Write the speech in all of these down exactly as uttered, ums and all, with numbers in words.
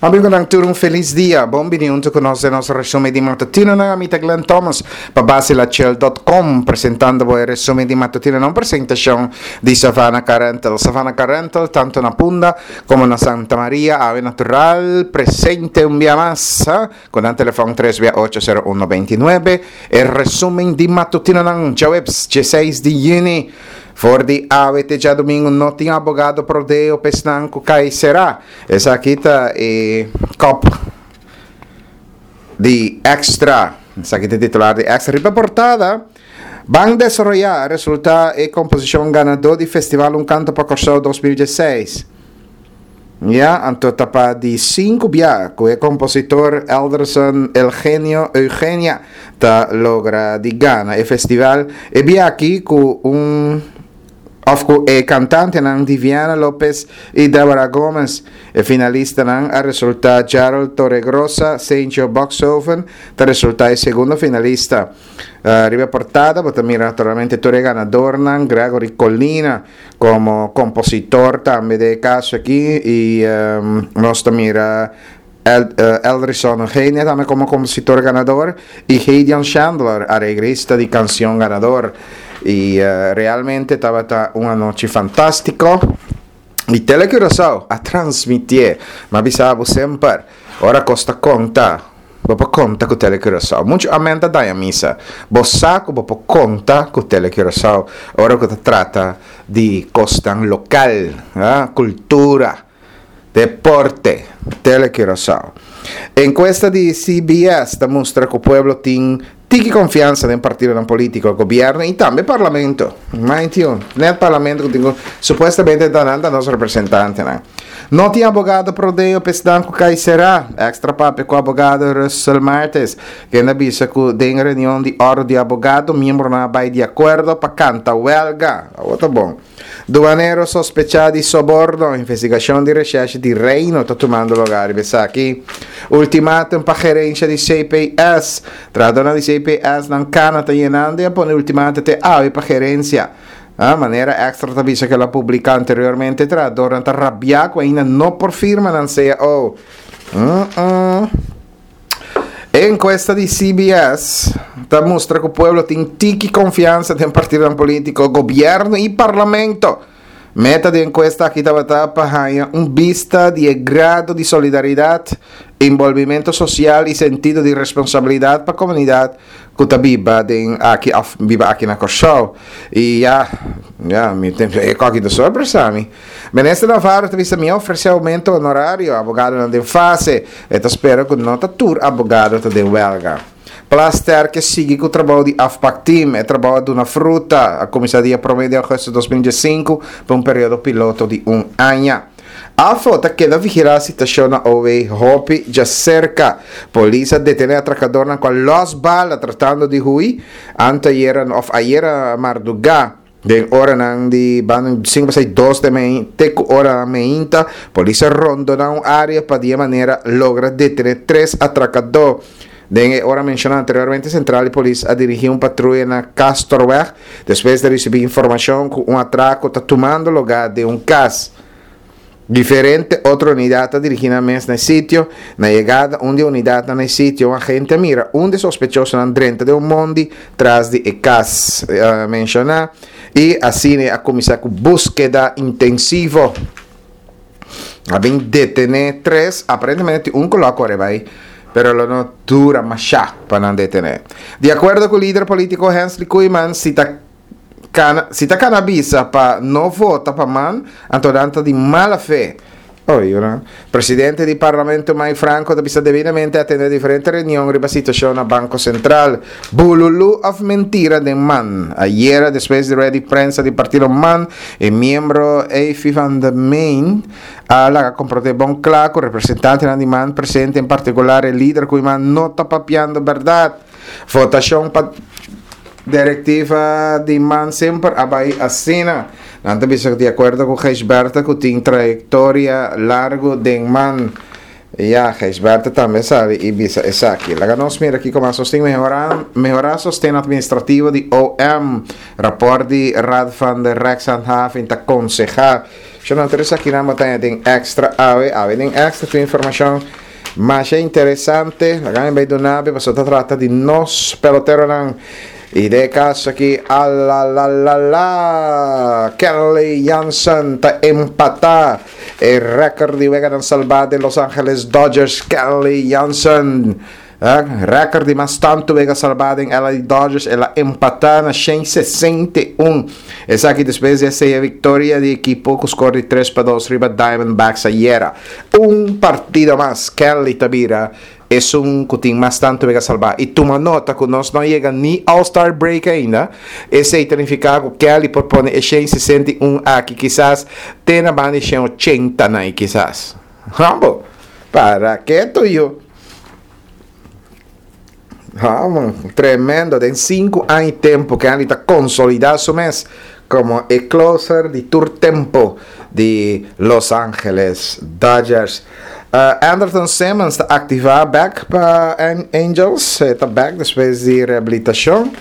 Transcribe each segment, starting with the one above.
Amigonan, tur un felis dia. Bon bini hunto cu nos den nos resumen di matutino. Nan amita Glenn Thomas pa basilachel punto com presentando bo e resumen di matutino na un presentacion di Savannah Car Rental. Savannah Car Rental, tanto na Punda como na Santa Maria, ave natural, presente un dia mas, cu nan telefon tres ocho cero uno dos nuebe. E resumen di matutino nan djaweps, diesseis di yüni. For di awe te djadumingu no tin abogado pro deo p'esnan ku kai será. Esaki ta e kop di Extra. Esaki ta titular di Extra. Riba portada, Ban Desaroyá resultá e komposishon ganadó di Festival Un Kanto pa Kòrsou dos mil diesseis. Ja, anto ta pa di sinku bia ku e kompositor Elderson Eugenio Eugenia ta logra di gana e festival e bia aki ku un of ku e kantantenan Diviana Lopez i Deborah Gomez. E finalistanan a resultá Gerald Torregrosa, Sergio Boxhoven, ta resultá e segundo finalista. Uh, riba portada, bo ta mira naturalmente tur e ganadornan, Gregory Colina komo kompositor tambe den e kaso aki i um, nos mira El, uh, Elderson Eugenia tambe komo kompositor ganadó i Heidian Chandler, areglista di kanshon ganadó. I uh, realmente tabata un anochi fantástiko. I Telecuraçao a transmití, m'a bisa bo semper, ora kos ta konta, bo por konta ku Telecuraçao. Muchu amèn ta daña misa. Bo sa ku bo por konta ku Telecuraçao. Ora ku ta trata di kosnan lokal, ah, kultura, deporte, Telecuraçao. Enkuesta di C B S ta mustra ku pueblo tin tiki konfiansa den partido polítiko, gobièrnu i tambe parlamento. Mind you, net parlamento ku supuestamente ta nos representantenan. No tin abogado pro deo p'esnan ku kai será. Extra a papia ku abogado Russell Martes, ku a bisa ku den reunion di orden di abogado, miembronan a bai di akuerdo pa kanta welga. Ta bon. Duanero sospechá di soborno, investigashon di reshèrshi di Reino ta tumando lugá aki. Ultimatum pa gerensia di C P S. Trahadónan di C P S nan kana ta yenando i a pone ultimatum te awe pa gerensia. A manera Extra ta bisa ku el a publiká anteriormente, trahadónan ta rabiá ku ainda no por firma nan C A O. Uh -uh. Enkuesta di C B S ta mustra ku pueblo tin tiki konfiansa den partido polítiko, gobièrnu i parlamento. Meta di enkuesta aki tabata pa un bista di grado di solidaridat, enbolbimentu sosial i sentido di responsabilidat pa e komunidat ku ta biba den aki of biba aki na Kòrsou. I ya, ya, mi tin aki di sorpresa mi. Minister Navarro ta bisa mi ofresé oumento honorario, abogadonan den fase, i ta spera ku no ta tur abogado ta den welga. Plasterk ke sigui ku e trabou di afpakteam, e trabou di una fruta, a kuminsá dia promé di ougùstùs di dos mil diesinku pa un periodo piloto di un aña. AFO ta keda vigilá e situashon na O W hopi djaserka. Polis a detené atrakadónan ku los bala tratando di hui antayera of ayera mardugá. Den oranan di banda sinku dos di mei, te ku ora meinta, polis a rondoná un área pa di manera logra detené tres atrakadó. Den ora menshoná anteriormente, sentral di polis a dirigí un patruya na Castorweg, despues di risibí informashon ku un atrako ta tumando lugá den un kas. Diferente otro unidat a dirigí nan mes na e sitio. Na yegada un di unidat na e sitio, un agente a mira un di e sospechosonan drenta den un mondi tras di e kas uh, menshoná i asina a kuminsá ku búskeda intensivo. A bin detené tres, aparentemente un ku a kore bai, pero lo no dura masha pa nan detené. Di akuerdo ku e lider polítiko Hensley Koeiman, si ta kana, si ta kana bisa pa no vota pa MAN, anto nan ta di mala fe. Oi, no? Presidente di Parlamento Mike Franco ta bisa debidamente atendé diferente reunion riba situashon na Banko Sentral. Bululu of mentira den MAN. Ayera, despues di rueda di prensa di partido MAN, e miembro Efi van der Meen a laga komprondé bon kla ku representante di MAN presente, en partikular e lider Koeiman, no ta papiando berdat. Votashon pa direktiva di MAN semper a bai asina. Nan ta bisa di akuerdo ku Gisberta, ku tin trayektoria largu den MAN. Ja, Gisberta tambe sabi i bisa esaki. Laga nos mira aki kon sosten mehorá mehorá sosten administrativo di O M. Rapòrt di Raad van de Rechtshandhaving ta konsehá. Shon tur esakinan bo ta haña den Extra awe. Awe den Extra tin informashon masha interesante. Laga mi bai duna bo pasobra ta trata di nos peloteronan. I den e kaso aki alalalala Kenley Jansen ta empatá e rèkòrt di weganan salbá den Los Angeles Dodgers. Kenley Jansen. Rèkòrt di mas tantu wega salbá den L A Dodgers el a empatá na shen sesenta i un. Esaki despues di a seya viktoria di ekipo ku skor di tres pa dos riba Diamondbacks ayera. Un partido mas Kenley ta bira esun ku tin mas tantu wega salbá. I tuma nota ku nos no a yega ni All Star Break ainda. Esei ta nifiká ku Kenley por pone e shen sesenta i un aki kisas te na banda di shen ochenta na i kisas. Humble. Para ke tuyo? Ha, man, tremendo. Den sinku aña i tempu Kenley ta konsolidá su mes komo e closer di tur tempu di Los Angeles Dodgers. Uh, Andrelton Simmons ta aktivá bèk pa Angels. E ta bèk despues di rehabilitashon.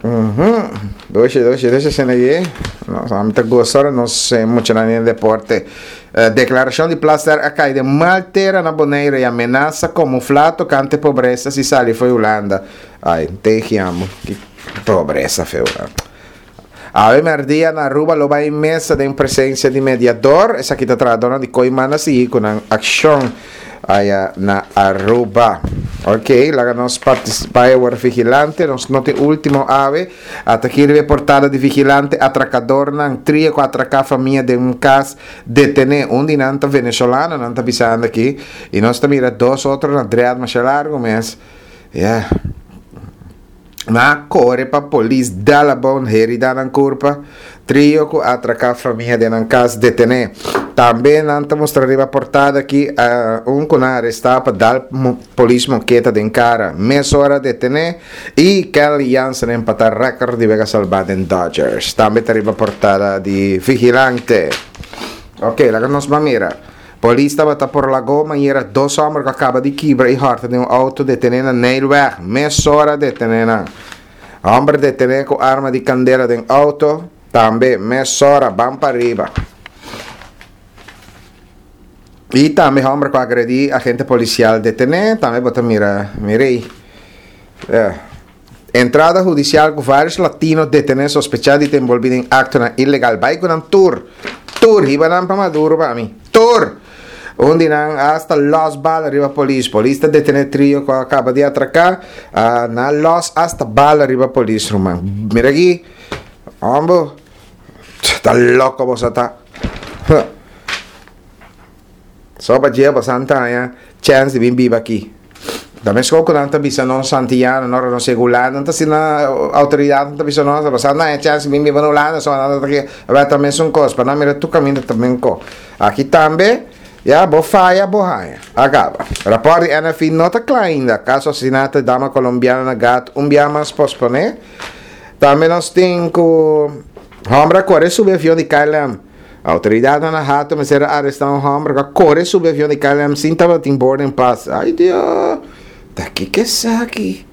Mm-hmm. Doshi, doshi, doshi esena aki. Nos ami ta gosa ora nos muchanan den deporte. Uh, deklarashon di Plasterk a kai den mal tera na Bonaire i amenasa kamuflá tokante pobresa si sali fo'i Hulanda. Ai, tegiamo. Ki pobresa fe Hulanda. Awe merdia na Aruba lo bai mesa den presensia di mediador. Esaki ta trahadornan di Kooiman a sigui ku nan akshon aya na Aruba. Ok, laga nos partisipá e wor Vigilante. Nos no tin último awe. Ata aki riba e portada di Vigilante, atracadornan trio ku atraká famia den un kas detené. Un di nan ta venezolano, nan ta bisando aki. I nos ta mira dos otro na dread masha largo mes. Yeah. Nan a kore pa polis dal abou herida nan kurpa. Trio ku a atraká famia den nan kas detené. Tambe nan ta mustra riba portada aki un ku nan arestá pa dal polis moketa den kara. Mesora detené i Kenley Jansen empatá rèkòrt di wega salbá den Dodgers. Tambe ta riba portada di Vigilante. Ok, laga nos ban mira. Polis tabata por Lago manera dos hòmber ku a kaba di kibra i hòrta den un outo detené na Nijlweg. Mesora detené nan. Hòmber detené ku arma di kandela den outo, tambe mesora ban pa riba. I tambe hòmber ku a agredí agente polisial detené, tambe bo ta mira, mira ei. Entrada hudisial ku vários latino detené sospechá di ta enbolbí den aktonan ilegal. Bai ku nan tur! Tur! Hiba nan pa Maduro pa mi. Tur! Un di nan asta lòs bala riba polis. Polis ta detené trio ku a kaba di atraká. Nan a lòs asta bala riba polis, ruman. Mira aki. Hombo. Ta loko boso ta. Huh. So pa dje boso a haña chèns di bin biba aki. Ta meskos ku nan ta bisa nos Antiano ora nos yega Hulanda, nan ta asina outoridatnan ta bisa nos, boso a haña chèns di bin biba na Hulanda, so nan ta aki. Awor ta mesun kos, pa nan mira tur kaminda ta men ko. Aki tambe, ya, bo faya, bo haña. A kaba. Rapòrt di N F I no ta kla ainda. Kaso asesinato di dama kolombiano na Gat un bia mas posponé. Tambe nos tin ku hòmber a kore subi avion di K L M. Autoridadnan na Hato mester a arestá un hòmber ku a kore subi avion di K L M sin tabatin boarding pass. Ay Dios! Ta kiko esaki?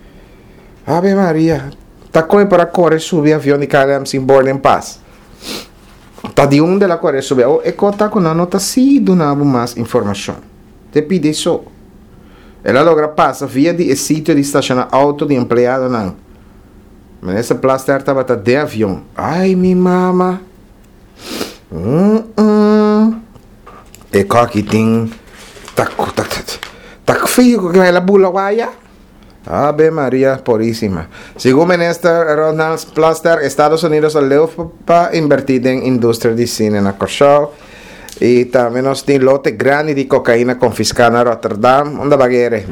Ave Maria! Ta kon e por a kore subi avion di K L M sin boarding pass? Ta di unda el a kore subi? Awor e kos ta ku nan no ta sigui duna bo mas informashon. Te pidi so. El a logra pasa via di e sitio di stashoná outo di empleadonan. Minister Plasterk tabata den avion. Ay mi mama! Mm-mm. E koki tin ta ta ta fio ku el a bula waya. Ave Maria Purísima. Segun minister Ronald Plasterk, Estados Unidos a leu pa invertí den industria di sine na Kòrsou. I tambe nos tin lote grandi di kokaina konfiská na Rotterdam. Unda bagere?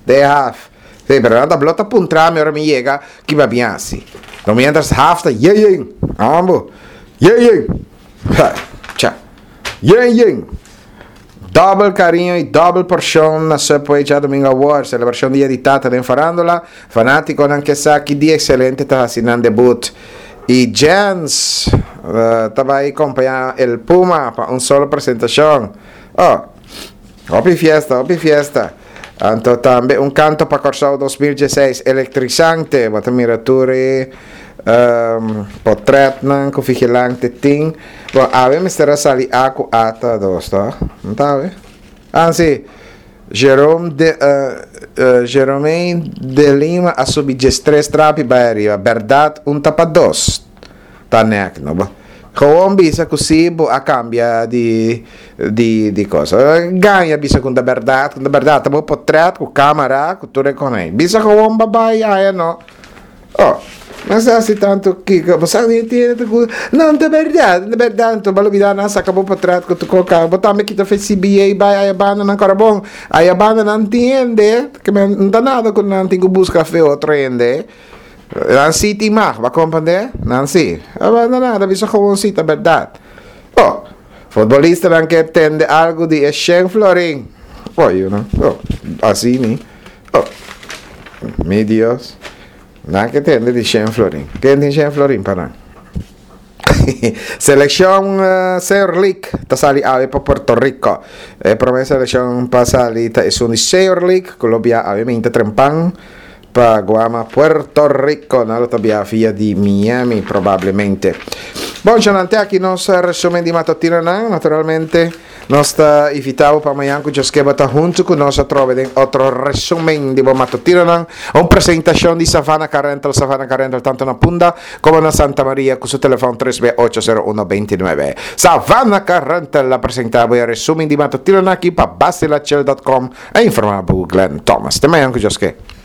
De haf. Sí, pero nan ta blot a puntra mi ora mi yega ki ba bin hasi. No mientras haf ta yen yen. Ambo. Yen yen. Ha, cha. Yen yen. Double cariño y double porción na Subway djadomingo awor. Celebracion Dia di Tata den Farándula. Fanáticonan ke sa ki dia excelente ta hasi nan debut. Y Jens, uh, ta bai acompaña El Puma pa un solo presentacion. Oh, hopi fiesta, hopi fiesta. Anto tambe un canto pa Kòrsou dos mil dieseis, electrizante. Bo ta mira tur e Um, Potretnan ku Vigilante tin. Bon, awe mester a sali A ku ata dos, ta? No ta awe? Ah, si. Jerome de, uh, uh, Jerome de Lima a subi diestres trapi bai ariba. Berdad un ta pa dos. Ta nek, no? Bo. Gewoon bisa ku si bo a kambia di di di kos. Gaña bisa ku ta bèrdat, ku ta bèrdat. Ta bo potret ku kamera ku tur e konei. Bisa gewoon babai aya no. Oh, mester hasi tantu kiko. Bo sa di tiene ku no ta bèrdat, ta bèrdat. Anto bo a lubida nan saka bo potret ku tur kos. Bo tambe kita fe C B A bai aya banda nan kora bon. Aya banda nan tin hende. Ke men no ta nada ku nan tin ku buska fe otro hende. Nan sí tin mag, bo a comprende? Nan sí. Aba na nada, bisa gewoon sí ta berdad. Oh, futbolistanan ke tende algo di e shen florin. Oh, you know. Oh, así ni. Oh, mi Dios. Nan ke tende di shen florin. Ken tin shen florin pa nan? Seleccion uh, Senior League ta sali awe pa Puerto Rico. E prome seleccion pa sali ta esun di Senior League, cu lo bia awe mainta trempan pa Guama, Puerto Rico. Nan lo ta bia via di Miami probablemente. Bon, te aki nos resumen di matutino nan. Naturalmente, nos ta invita bo pa mañan cu Dios kier ta hunto cu nos atrobe den otro resumen di matutino nan. Un presentacion di Savannah Car Rental, Savannah Car Rental tanto na Punda como na Santa Maria cu su telefon tres B ocho cero uno dos nuebe. Savannah Car Rental a presenta e resumen di matutino nan aki pa basilachel punto com, a informa Glenn Thomas. Te mañan cu Dios kier.